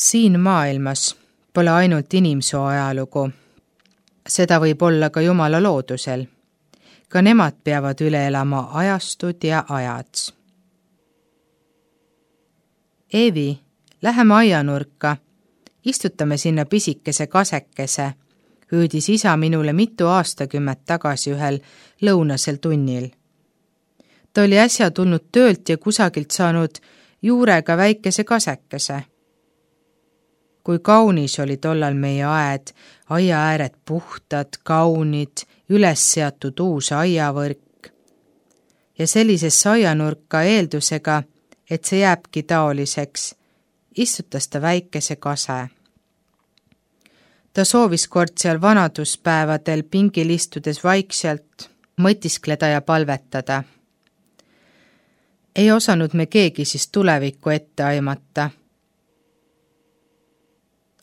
Siin maailmas pole ainult inimsoo ajalugu. Seda võib olla ka Jumala loodusel. Ka nemad peavad üle elama ajastud ja ajad. Eevi, läheme aianurka. Istutame sinna pisikese kasekese, hüüdis isa minule mitu aastakümmet tagasi ühel lõunasel tunnil. Ta oli äsja tulnud töölt ja kusagilt saanud juurega väikese kasekese. Kui kaunis oli tollal meie aed, aiaääred puhtad, kaunid, üles seatud uus aiavõrk. Ja sellisesse aianurka eeldusega, et see jääbki taoliseks, istutas ta väikese kase. Ta soovis kord seal vanaduspäevadel pingil istudes vaikselt mõtiskleda ja palvetada. Ei osanud me keegi siis tulevikku ette aimata.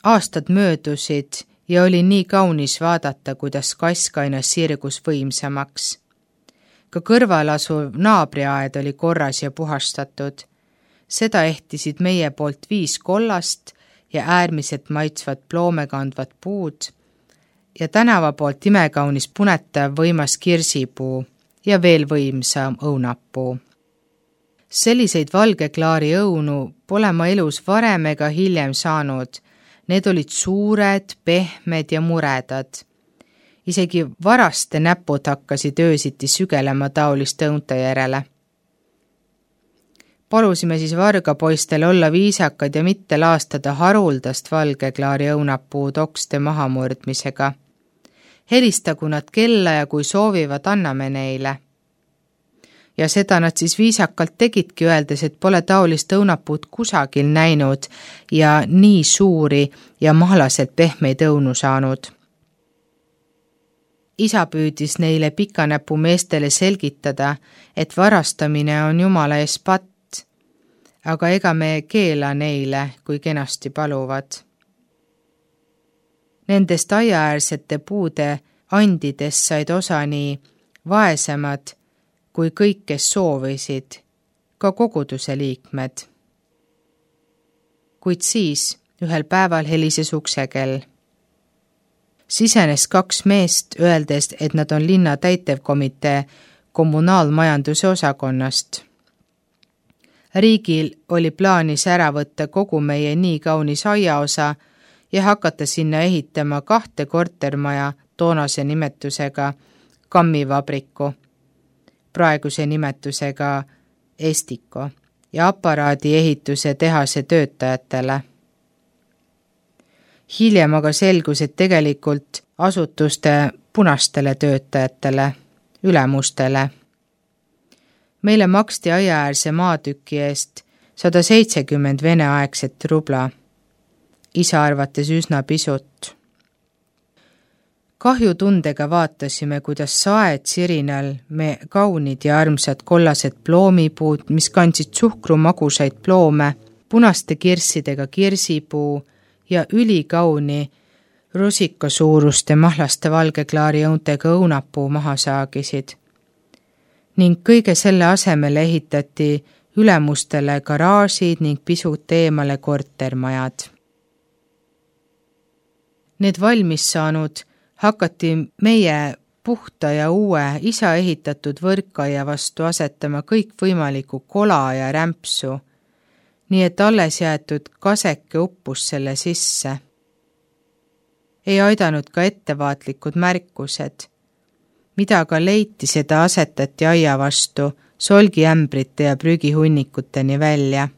Aastad möödusid ja oli nii kaunis vaadata, kuidas kask aina sirgus võimsamaks. Ka kõrval asuv naabriaed oli korras ja puhastatud. Seda ehtisid meie poolt 5 kollast ja äärmiselt maitsvad ploomekandvad puud ja tänava poolt imekaunis punetav võimas kirsipuu ja veel võimsam õunapuu. Selliseid valgeklaari õunu pole ma elus varem ega hiljem saanud. Need olid suured, pehmed ja muredad. Isegi varaste näpud hakkasid öösiti sügelema taoliste õunte järele. Palusime siis vargapoistel olla viisakad ja mitte laastada haruldast valgeklaari õunapuu tokste mahamurdmisega. Helistagu nad kella ja kui soovivad, anname neile. Ja seda nad siis viisakalt tegidki, öeldes, et pole taolist õunapuud kusagil näinud ja nii suuri ja mahlaselt pehmeid õunu saanud. Isa püüdis neile pikanäpu meestele selgitada, et varastamine on Jumala ees patt, aga ega me keela neile, kui kenasti paluvad. Nendest aiaäärsete puude andidest said osa nii vaesemad, kui kõik, kes soovisid, ka koguduse liikmed. Kuid siis ühel päeval helises uksekell. Sisenes 2 meest, öeldes, et nad on linna täitevkomitee kommunaalmajanduse osakonnast. Riigil oli plaanis ära võtta kogu meie nii kaunis aiaosa ja hakata sinna ehitama 2 kortermaja toonase nimetusega kammivabriku, praeguse nimetusega Estiko ja aparaadi ehituse tehase töötajatele. Hiljem aga selgus, et tegelikult asutuste punastele töötajatele, ülemustele. Meile maksti aiaäärse maatüki eest 170 veneaegset rubla, isa arvates üsna pisut. Kahjutundega vaatasime, kuidas saed sirinal me kaunid ja armsad kollased ploomipuud, mis kandsid suhkrumagusaid ploome, punaste kirssidega kirsipuu ja ülikauni rusikasuuruste mahlaste valgeklaari õuntega õunapuu maha saagisid. Ning kõige selle asemele ehitati ülemustele garaažid ning pisut eemale kortermajad. Need valmis saanud hakati meie puhta ja uue isa ehitatud võrkaia vastu asetama kõik võimalikku kola ja rämpsu, nii et alles jäetud kaseke uppus selle sisse. Ei aidanud ka ettevaatlikud märkused. Mida ka leiti, seda asetati aia vastu solgiämbrite ja prügihunnikuteni välja.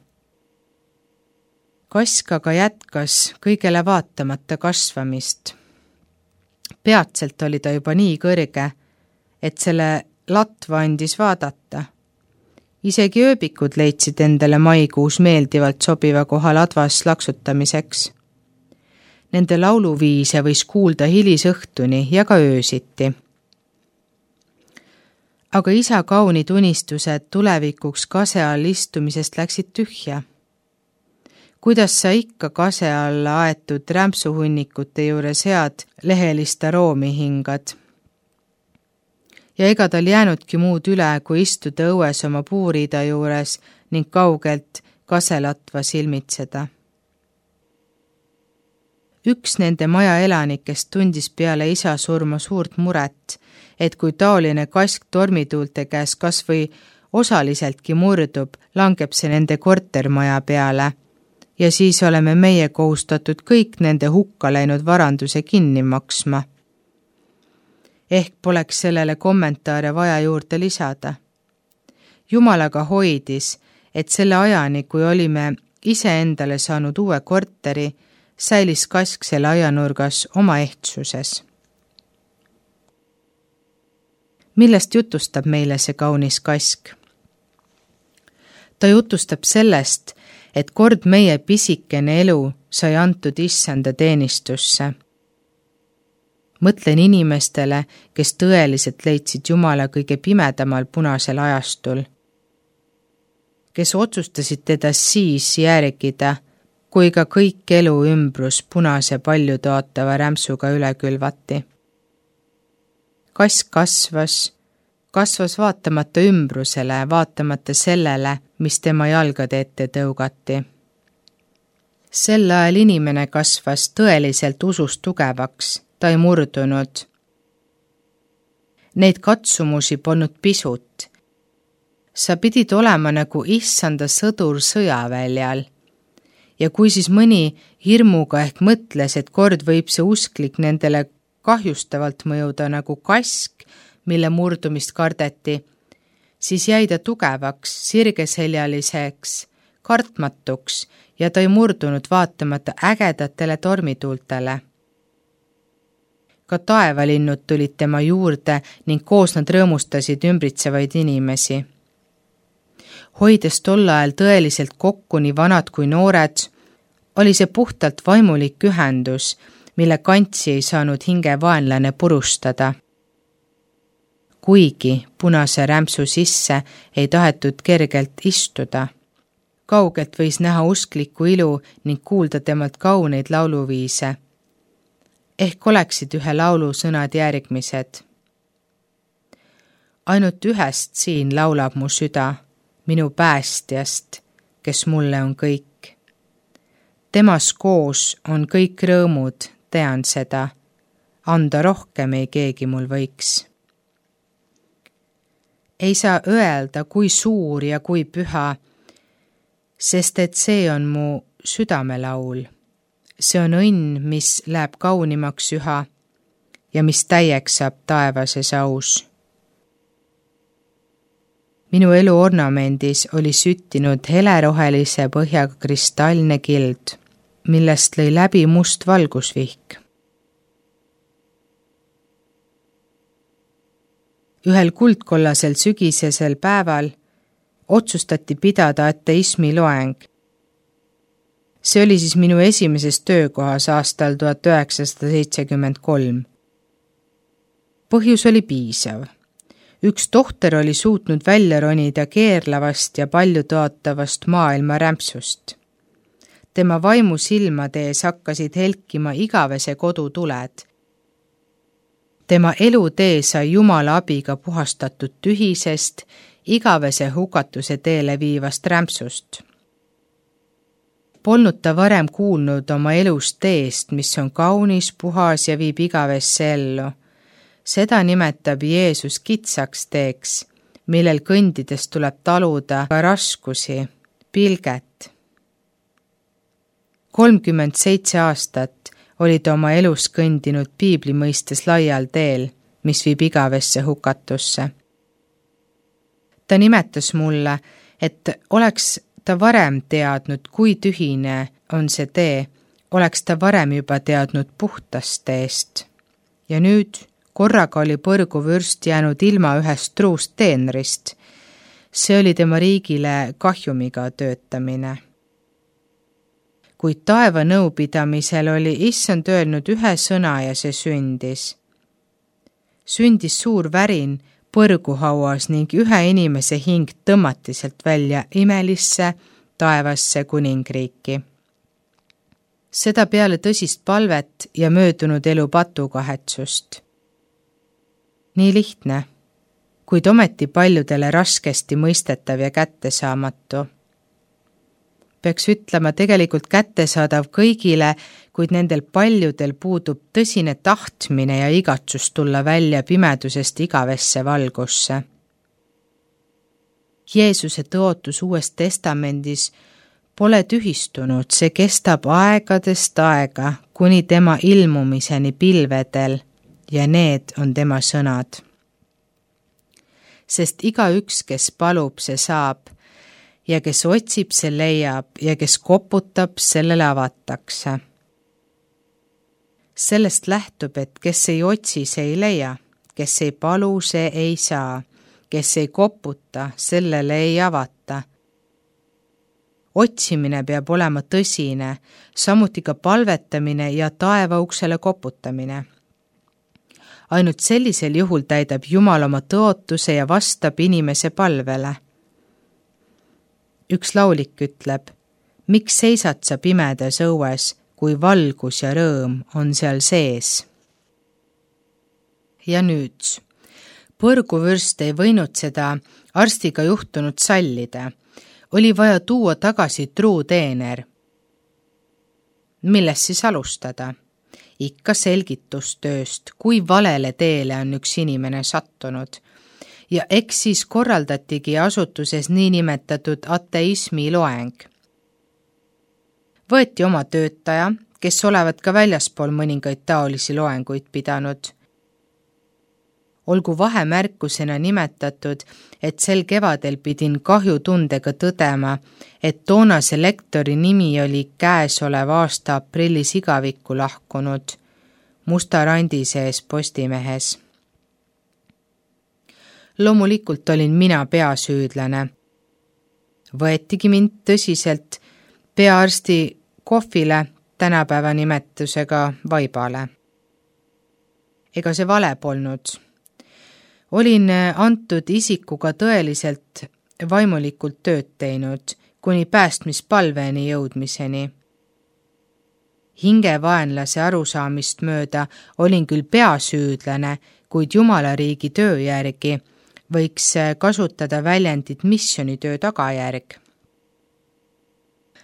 Kask aga jätkas kõigele vaatamata kasvamist. Peatselt oli ta juba nii kõrge, et selle latva andis vaadata. Isegi ööbikud leidsid endale maikuus meeldivalt sobiva koha ladvas laksutamiseks. Nende lauluviise võis kuulda hilisõhtuni ja ka öösiti. Aga isa kaunid unistused tulevikuks kase all istumisest läksid tühja. Kuidas sa ikka kase alla aetud rämpsuhunnikute juures head lehelist aroomi hingad? Ja ega tal jäänudki muud üle, kui istuda õues oma puuriida juures ning kaugelt kaselatva silmitseda. Üks nende maja elanikest tundis peale isa surma suurt muret, et kui taoline kask tormituulte käes kas või osaliseltki murdub, langeb see nende kortermaja peale ja siis oleme meie kohustatud kõik nende hukka läinud varanduse kinni maksma. Ehk poleks sellele kommentaare vaja juurde lisada. Jumal aga hoidis, et selle ajani, kui olime iseendale saanud uue korteri, säilis kask selle ajanurgas oma ehtsuses. Millest jutustab meile see kaunis kask? Ta jutustab sellest, et kord meie pisikene elu sai antud issanda teenistusse. Mõtlen inimestele, kes tõeliselt leidsid Jumala kõige pimedamal punasel ajastul, kes otsustasid teda siis järgida, kui ka kõik elu ümbrus punase paljutootava rämpsuga üle külvati. Kask kasvas vaatamata ümbrusele, vaatamata sellele, mis tema jalgade ette tõugati. Sel ajal inimene kasvas tõeliselt usust tugevaks, ta ei murdunud. Neid katsumusi polnud pisut. Sa pidid olema nagu issanda sõdur sõjaväljal. Ja kui siis mõni hirmuga ehk mõtles, et kord võib see usklik nendele kahjustavalt mõjuda nagu kask, mille murdumist kardeti, siis jäi ta tugevaks, sirgeseljaliseks, kartmatuks ja ta ei murdunud vaatamata ägedatele tormituultele. Ka taevalinnud tulid tema juurde ning koos nad rõõmustasid ümbritsevaid inimesi. Hoides tol ajal tõeliselt kokku nii vanad kui noored, oli see puhtalt vaimulik ühendus, mille kantsi ei saanud hinge vaenlane purustada. Kuigi punase rämpsu sisse ei tahetud kergelt istuda. Kaugelt võis näha usklikku ilu ning kuulda temalt kauneid lauluviise. Ehk oleksid ühe laulu sõnad järgmised. Ainult ühest siin laulab mu süda, minu päästjast, kes mulle on kõik. Temas koos on kõik rõõmud, tean seda, anda rohkem ei keegi mul võiks. Ei saa öelda, kui suur ja kui püha, sest et see on mu südamelaul. See on õnn, mis läheb kaunimaks üha ja mis täieks saab taevases aus. Minu elu ornamendis oli süttinud helerohelise põhjaga kristallne kild, millest lõi läbi must valgusvihk. Ühel kuldkollasel sügisesel päeval otsustati pidada ateismi loeng. See oli siis minu esimeses töökohas aastal 1973. Põhjus oli piisav. Üks tohter oli suutnud välja ronida keerlavast ja paljutootavast maailma rämpsust. Tema vaimu silmade ees hakkasid helkima igavese kodutuled. Tema elutee sai Jumala abiga puhastatud tühisest, igavese hukatuse teele viivast rämpsust. Polnud ta varem kuulnud oma elust teest, mis on kaunis, puhas ja viib igavesse ellu. Seda nimetab Jeesus kitsaks teeks, millel kõndides tuleb taluda ka raskusi, pilget. 37 aastat oli ta oma elus kõndinud piibli mõistes laial teel, mis viib igavesse hukatusse. Ta nimetas mulle, et oleks ta varem teadnud, kui tühine on see tee, oleks ta varem juba teadnud puhtast teest. Ja nüüd korraga oli põrguvürst jäänud ilma ühest truust teenrist. See oli tema riigile kahjumiga töötamine. Kuid taeva nõupidamisel oli issand öelnud ühe sõna ja see sündis. Sündis suur värin põrguhauas ning ühe inimese hing tõmmati sealt välja imelisse taevasse kuningriiki. Seda peale tõsist palvet ja möödunud elu patukahetsust. Nii lihtne, kuid ometi paljudele raskesti mõistetav ja kättesaamatu. peaks ütlema, tegelikult kättesaadav kõigile, kuid nendel paljudel puudub tõsine tahtmine ja igatsus tulla välja pimedusest igavesse valgusse. Jeesuse tõotus Uues Testamendis pole tühistunud, see kestab aegadest aega, kuni tema ilmumiseni pilvedel ja need on tema sõnad. Sest igaüks, kes palub, see saab ja kes otsib, see leiab ja kes koputab, sellele avatakse. Sellest lähtub, et kes ei otsi, see ei leia, kes ei palu, see ei saa, kes ei koputa, sellele ei avata. Otsimine peab olema tõsine, samuti ka palvetamine ja taevauksele koputamine. Ainult sellisel juhul täidab Jumal oma tõotuse ja vastab inimese palvele. Üks laulik ütleb, miks seisad sa pimedas õues, kui valgus ja rõõm on seal sees? Ja nüüd, põrguvürst ei võinud seda arstiga juhtunud sallida. Oli vaja tuua tagasi truuteener. Millest siis alustada? Ikka selgitustööst, kui valele teele on üks inimene sattunud. Ja eks siis korraldatigi asutuses niinimetatud ateismi loeng. Võeti oma töötaja, kes olevat ka väljaspool mõningaid taolisi loenguid pidanud. Olgu vahemärkusena nimetatud, et sel kevadel pidin kahjutundega tõdema, et toonase lektori nimi oli käesoleva aasta aprillis igavikku lahkunud, musta randi sees Postimehes. Loomulikult olin mina peasüüdlane. Võetigi mind tõsiselt peaarsti kohvile, tänapäeva nimetusega vaibale. Ega see vale polnud. Olin antud isikuga tõeliselt vaimulikult tööd teinud, kuni päästmispalveni jõudmiseni. Hingevaenlase arusaamist mööda olin küll peasüüdlane, kuid Jumalariigi töö järgi võiks kasutada väljendit missionitöö tagajärg.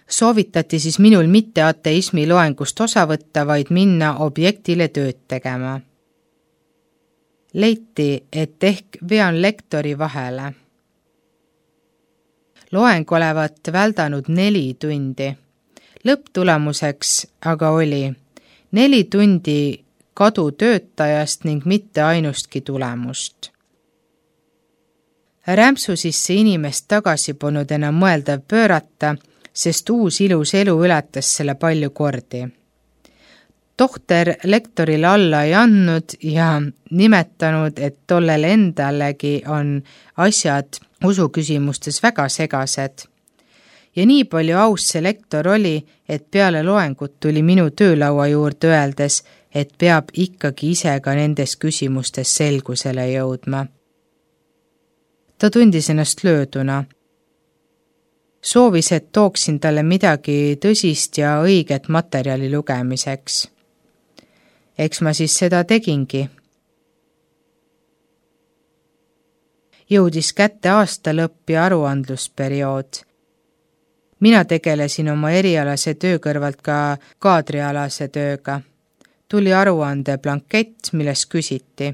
Soovitati siis minul mitte ateismi loengust osa võtta, vaid minna objektile tööd tegema. Leiti, et ehk vean lektori vahele. Loeng olevat väldanud 4 tundi. Lõpptulemuseks aga oli 4 tundi kadu töötajast ning mitte ainustki tulemust. Rämpsu sisse inimest tagasi polnud enam mõeldav pöörata, sest uus ilus elu ületas selle palju kordi. Tohter lektorile alla ei andnud ja nimetanud, et tollel endalegi on asjad usuküsimustes väga segased. Ja nii palju aus see lektor oli, et peale loengut tuli minu töölaua juurde öeldes, et peab ikkagi ise ka nendes küsimustes selgusele jõudma. Ta tundis ennast lööduna. Soovis, et tooksin talle midagi tõsist ja õiget materjali lugemiseks. Eks ma siis seda tegingi. Jõudis kätte aasta lõpp ja aruandlusperiood. Mina tegelesin oma erialase töö kõrvalt ka kaadrialase tööga. Tuli aruande blankett, milles küsiti.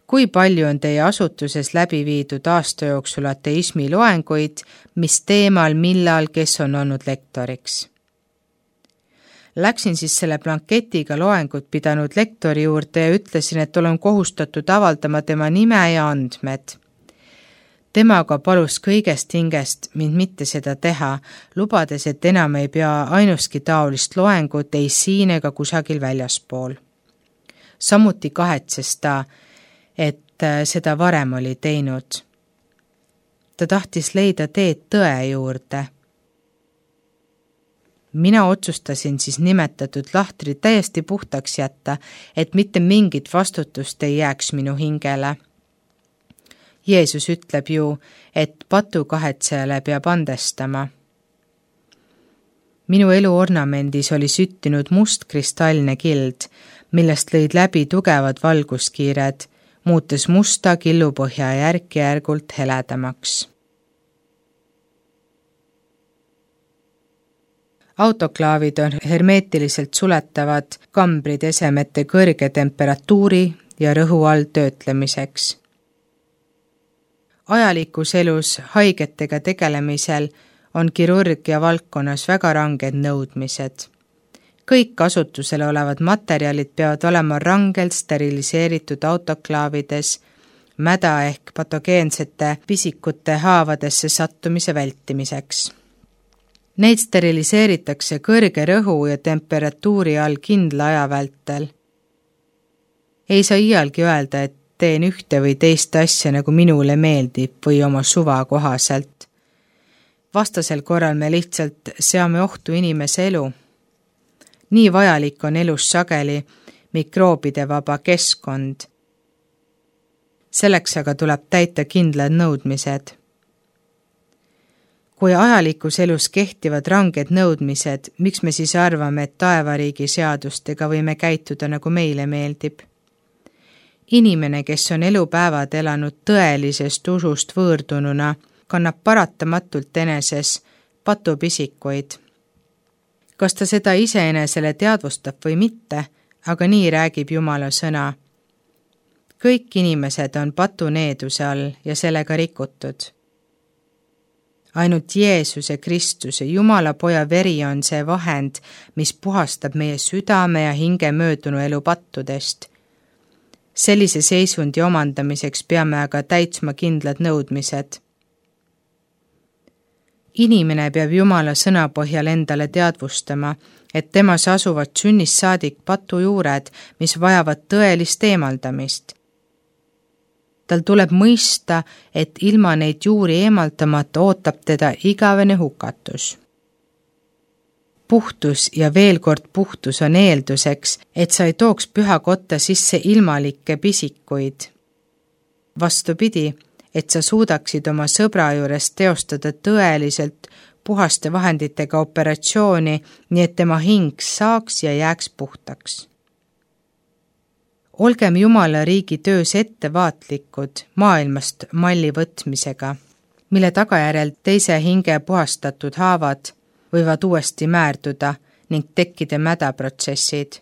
Kui palju on teie asutuses läbi viidud aasta jooksul ateismi loenguid, mis teemal, millal, kes on olnud lektoriks? Läksin siis selle blanketiga loengut pidanud lektori juurde ja ütlesin, et olen kohustatud avaldama tema nime ja andmed. Tema aga palus kõigest hingest mind mitte seda teha, lubades, et enam ei pea ainustki taolist loengut ei siin ega kusagil väljaspool. Samuti kahetses ta, et seda varem oli teinud. Ta tahtis leida teed tõe juurde. Mina otsustasin siis nimetatud lahtri täiesti puhtaks jätta, et mitte mingit vastutust ei jääks minu hingele. Jeesus ütleb ju, et patukahetsejale peab andestama. Minu elu ornamendis oli süttinud must kristallne kild, millest lõid läbi tugevad valguskiired, muutes musta killupõhja järk-järgult heledamaks. Autoklaavid on hermeetiliselt suletavad kambrid esemete kõrge temperatuuri ja rõhu all töötlemiseks. Ajalikus elus haigetega tegelemisel on kirurgia valdkonnas väga ranged nõudmised. Kõik kasutusel olevad materjalid peavad olema rangelt steriliseeritud autoklaavides, mäda ehk patogeensete pisikute haavadesse sattumise vältimiseks. Neid steriliseeritakse kõrge rõhu ja temperatuuri all kindla aja vältel. Ei saa iialgi öelda, et teen ühte või teist asja, nagu minule meeldib või oma suva kohaselt. Vastasel korral me lihtsalt seame ohtu inimese elu. Nii vajalik on elus sageli mikroobide vaba keskkond. Selleks aga tuleb täita kindlad nõudmised. Kui ajalikus elus kehtivad ranged nõudmised, miks me siis arvame, et taevariigi seadustega võime käituda, nagu meile meeldib? Inimene, kes on elupäevad elanud tõelisest usust võõrdununa, kannab paratamatult eneses patupisikuid. Kas ta seda iseenesele teadvustab või mitte, aga nii räägib Jumala sõna. Kõik inimesed on patuneeduse all ja sellega rikutud. Ainult Jeesuse Kristuse, Jumala poja veri on see vahend, mis puhastab meie südame ja hinge möödunu elu pattudest. Sellise seisundi omandamiseks peame aga täitsma kindlad nõudmised. Inimene peab Jumala sõna põhjal endale teadvustama, et temas asuvad sünnist saadik patujuured, mis vajavad tõelist eemaldamist. Tal tuleb mõista, et ilma neid juuri eemaldamata ootab teda igavene hukatus. Puhtus ja veel kord puhtus on eelduseks, et sa ei tooks püha kotta sisse ilmalikke pisikuid. Vastupidi, et sa suudaksid oma sõbra juures teostada tõeliselt puhaste vahenditega operatsiooni, nii et tema hing saaks ja jääks puhtaks. Olgem Jumala riigi töös ettevaatlikud maailmast malli võtmisega, mille tagajärjel teise hinge puhastatud haavad võivad uuesti määrduda ning tekkida mädaprotsessid.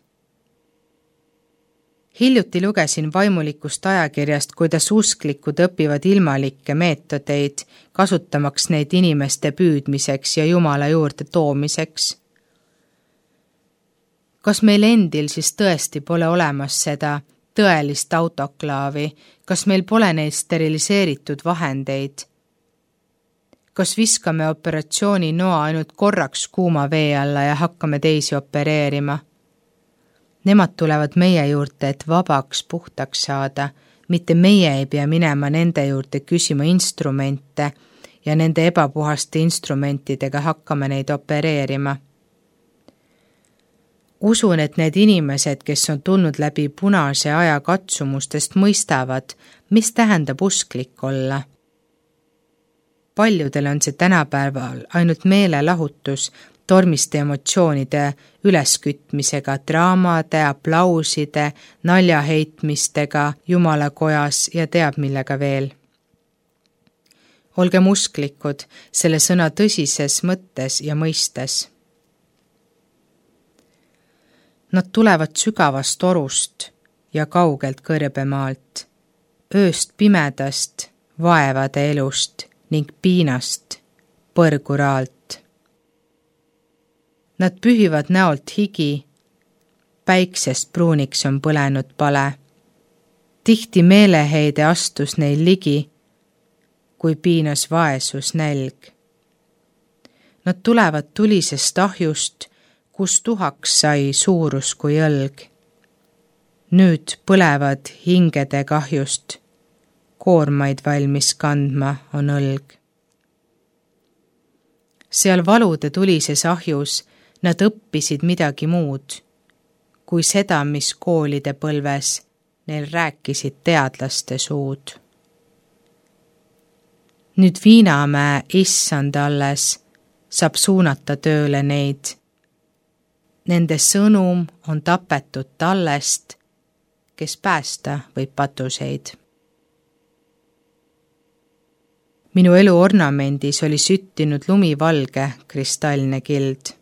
Hiljuti lugesin vaimulikust ajakirjast, kuidas usklikud õpivad ilmalikke meetodeid, kasutamaks neid inimeste püüdmiseks ja Jumala juurde toomiseks. Kas meil endil siis tõesti pole olemas seda tõelist autoklaavi? Kas meil pole neid steriliseeritud vahendeid? Kas viskame operatsiooni noa ainult korraks kuuma vee alla ja hakkame teisi opereerima? Nemad tulevad meie juurde, et vabaks puhtaks saada, mitte meie ei pea minema nende juurde küsima instrumente ja nende ebapuhaste instrumentidega hakkame neid opereerima. Usun, et need inimesed, kes on tulnud läbi punase aja katsumustest, mõistavad, mis tähendab usklik olla. Paljudel on see tänapäeval ainult meelelahutus, tormiste emotsioonide üleskütmisega, draamade, aplauside, naljaheitmistega Jumala kojas ja teab millega veel. Olgem usklikud selle sõna tõsises mõttes ja mõistes. Nad tulevad sügavast orust ja kaugelt kõrbemaalt, ööst pimedast, vaevade elust ning piinast, põrguraalt. Nad pühivad näolt higi, päiksest pruuniks on põlenud pale. Tihti meeleheide astus neil ligi, kui piinas vaesus nälg. Nad tulevad tulisest ahjust, kus tuhaks sai suurus kui õlg. Nüüd põlevad hingede kahjust, koormaid valmis kandma on õlg. Seal valude tulises ahjus nad õppisid midagi muud, kui seda, mis koolide põlves neil rääkisid teadlaste suud. Nüüd Viinamäe issand alles saab suunata tööle neid. Nende sõnum on tapetud tallest, kes päästa võib patuseid. Minu elu ornamendis oli süttinud lumivalge kristallne kild.